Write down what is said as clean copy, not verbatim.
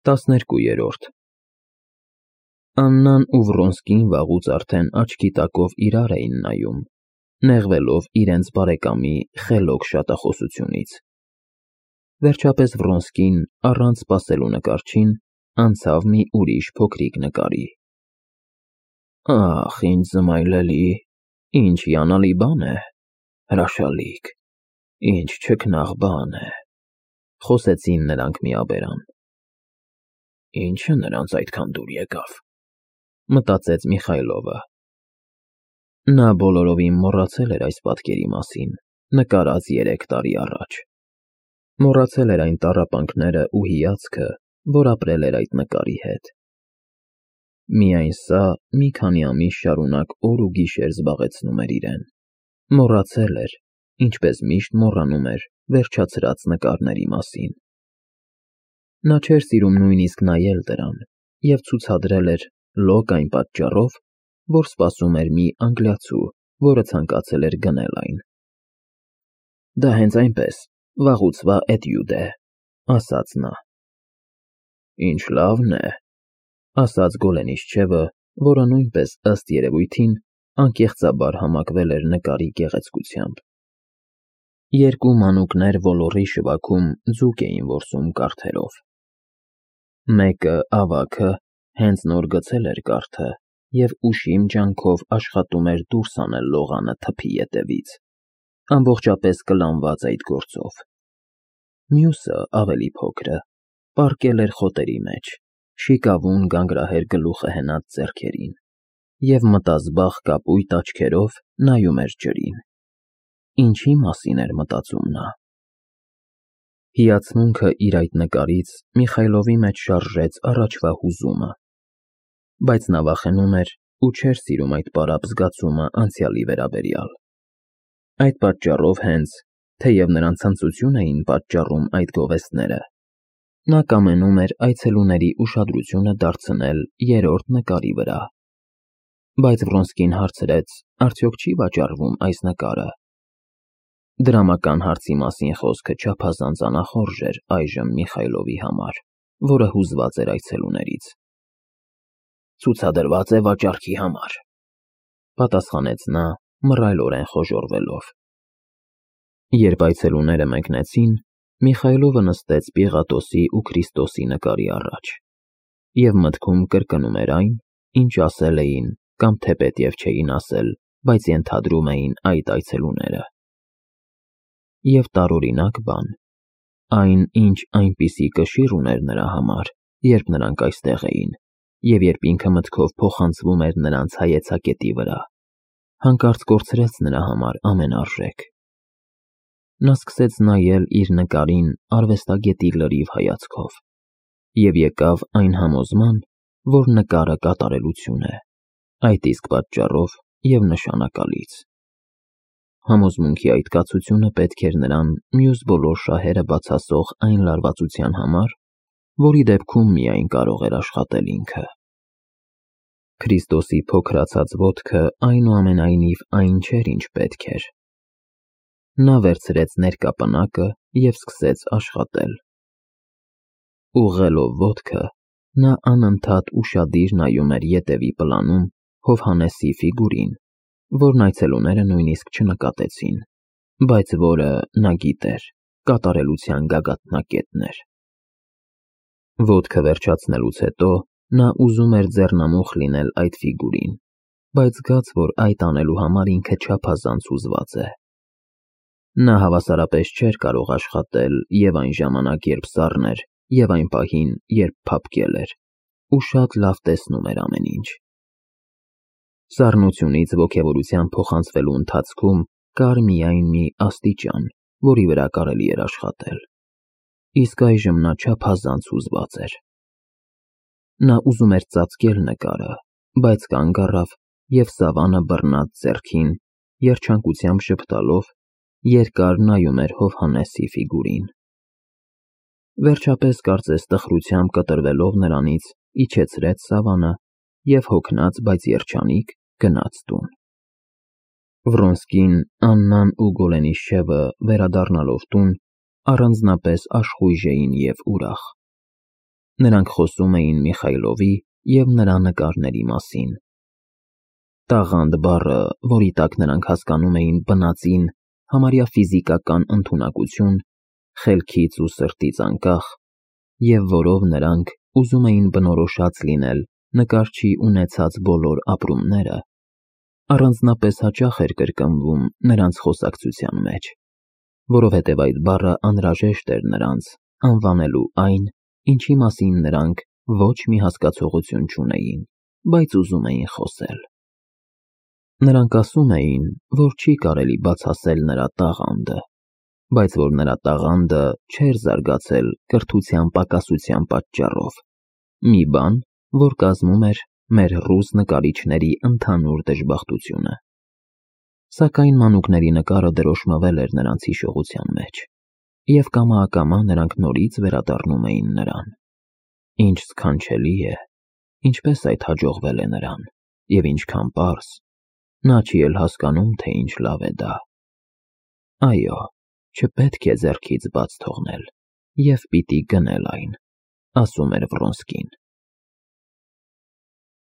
12-րդ Աննան ու Վրոնսկին վաղուց արդեն աչքի տակով իրար էին նայում, նեղվելով իրենց բարեկամի խելոք շատախոսությունից։ Վերջապես Վրոնսկին, առանց սպասելու նկարչին, անցավ մի ուրիշ փոքրիկ նկարի։ Ախ, ինչ զմայլելի, ինչ հիանալի բան է, հրաշալիք, ինչ չքնաղ բան է, խոսեցին նրանք միաբերան։ Ինչը նրանց այդքան դուր եկավ, մտածեց Միխայլովը։ Նա բոլորովին մոռացել էր այս պատկերի մասին, նկարած 3 տարի առաջ։ Մոռացել էր այն տառապանքները ու հիացքը, որ ապրել էր այդ նկարի հետ։ Միայն սա մի քանի ամիս շարունակ օր ու գիշեր զբաղեցնում էր իրեն։ Մոռացել էր, ինչպես միշտ մոռանում էր վերջացրած նկարների մասին։ Նա չէր սիրում նույնիսկ նայել դրան և ցուցադրել էր լոկ այն պատճառով, որ սպասում էր մի անգլիացու, որը ցանկացել էր գնել այն։ Դա հենց այնպես, վաղուցվա էտյուդ է, ասաց նա։ Ինչ լավն է, ասաց Գոլենիշչևը, որը նույնպես ըստ երևույթին անկեղծաբար համակվել էր նկարի գեղեցկությամբ։ Երկու մանուկներ ոլորի շվաքում ձուկ էին որսում կարթերով։ Մեկը, ավագը, հենց նոր գցել էր կարթը և ուշիմ ջանքով աշխատում էր դուրս անել լողանը թփի ետևից, ամբողջապես կլանված այդ գործով։ Մյուսը, ավելի փոքրը, պառկել էր խոտերի մեջ, շիկավուն գանգրահեր գլուխը հենած ձեռքերին և մտազբաղ կապույտ աչքերով նայում էր ջրին։ Ինչի մասին էր մտածում նա։ Հիացմունքը իր այդ նկարից Միխայլովի մեջ շարժեց առաջվա հուզումը, բայց նա վախենում էր ու չէր սիրում այդ պարապ զգացումը անցյալի վերաբերյալ։ Այդ պատճառով հենց, թեև նրան ցնծություն էին պատճառում այդ գովեստները, նա կամենում էր այցելուների ուշադրությունը դարձնել 3-րդ նկարի վրա։ Բայց Վրոնսկին հարցրեց, արդյոք չի վաճառվում այս նկարը։ Դրամական հարցի մասին խոսքը չափազանց անախորժ էր այժմ Միխայլովի համար, որը հուզված էր այցելուներից։ Ցուցադրված է վաճառքի համար, պատասխանեց նա, մռայլորեն խոժոռվելով։ Երբ այցելուները մեկնեցին, Միխայլովը նստեց Պիղատոսի ու Քրիստոսի նկարի առաջ և մտքում կրկնում էր այն, ինչ ասել էին կամ թեպետև չէին ասել, բայց ենթադրում էին այդ այցելուները։ Եվ տարօրինակ բան, այն, ինչ այնպիսի կշիռ ուներ նրա համար, երբ նրանք այստեղ էին, և երբ ինքը մտքով փոխանցվում էր նրանց հայեցակետի վրա, հանկարծ կորցրեց նրա համար ամեն արժեք։ Նա սկսեց նայել իր նկարին արվեստագետի լրիվ հայացքով և եկավ այն համոզման, որ նկարը կատարելություն է, այդ իսկ պատճառով և նշանակալից։ Համոզմունքի այդ կացությունը պետք էր նրան մյուս բոլոր շահերը բացասող այն լարվածության համար, որի դեպքում միայն կարող էր աշխատել ինքը։ Քրիստոսի փոքրացած ոտքը այնուամենայնիվ այն չէր, ինչ պետք էր։ Նա վերցրեց ներկա պնակը և սկսեց աշխատել։ Ուղղելով ոտքը, նա անընդհատ ուշադիր նայում էր ետևի պլանում Հովհաննեսի ֆիգուրին, որն այցելուները նույնիսկ չնկատեցին, բայց որը, նա գիտեր, կատարելության գագաթնակետն էր։ Ոտքը վերջացնելուց հետո նա ուզում էր ձեռնամուխ լինել այդ ֆիգուրին, բայց զգաց, որ այդ անելու համար ինքը չափազանց հուզված է։ Նա հավասարապես չէր կարող աշխատել և այն ժամանակ, երբ սառն էր, և այն պահին, երբ փափկել էր, ու շատ լավ տեսնում էր ամեն ինչ։ Սառնությունից ոգևորության փոխանցվելու ընթացքում կար միայն մի աստիճան, որի վրա կարելի էր աշխատել, իսկ այժմ նա չափազանց հուզված էր։ Նա ուզում էր ծածկել նկարը, բայց կանգ առավ և սավանը բռնած ձեռքին, երջանկությամբ ժպտալով, երկար նայում էր Հովհաննեսի ֆիգուրին։ Վերջապես, կարծես տխրությամբ կտրվելով նրանից, իջեցրեց սավանը և հոգնած, բայց երջանիկ գնաց տուն։ Վրոնսկին, Աննան ու Գոլենիշչևը, վերադառնալով տուն, առանձնապես աշխույժ էին և ուրախ։ Նրանք խոսում էին Միխայլովի և նրա նկարների մասին։ Տաղանդ բառը, որի տակ նրանք հասկանում էին բնածին, համարյա ֆիզիկական ընդունակություն, խելքից ու սրտից անկախ, և որով նրանք ուզում էին բնորոշած լինել նկարչի ունեցած բոլոր ապրումները, առանձնապես հաճախ էր կրկնվում նրանց խոսակցության մեջ, որովհետև այդ բառը անհրաժեշտ էր նրանց անվանելու այն, ինչի մասին նրանք ոչ մի հասկացողություն չունեին, բայց ուզում էին խոսել։ Նրանք ասում էին, որ չի կարելի բացասել նրա տաղանդը, բայց որ նրա տաղանդը չէր զարգացել կրթության պակասության պատճառով, մի բան, որ կազմում էր մեր ռուս նկարիչների ընդհանուր դժբախտությունը։ Սակայն մանուկների նկարը դրոշմվել էր նրանց հիշողության մեջ, և կամա-ակամա նրանք նորից վերադառնում էին նրան։ Ինչ սքանչելի է, ինչպես այդ հաջողվել է նրան, և ինչքան պարզ, նա չի էլ հասկանում, թե ինչ լավ է դա։ Այո, չպետք է ձեռքից բաց թողնել, և պիտի գնել այն, ասում էր Վրոնսկին։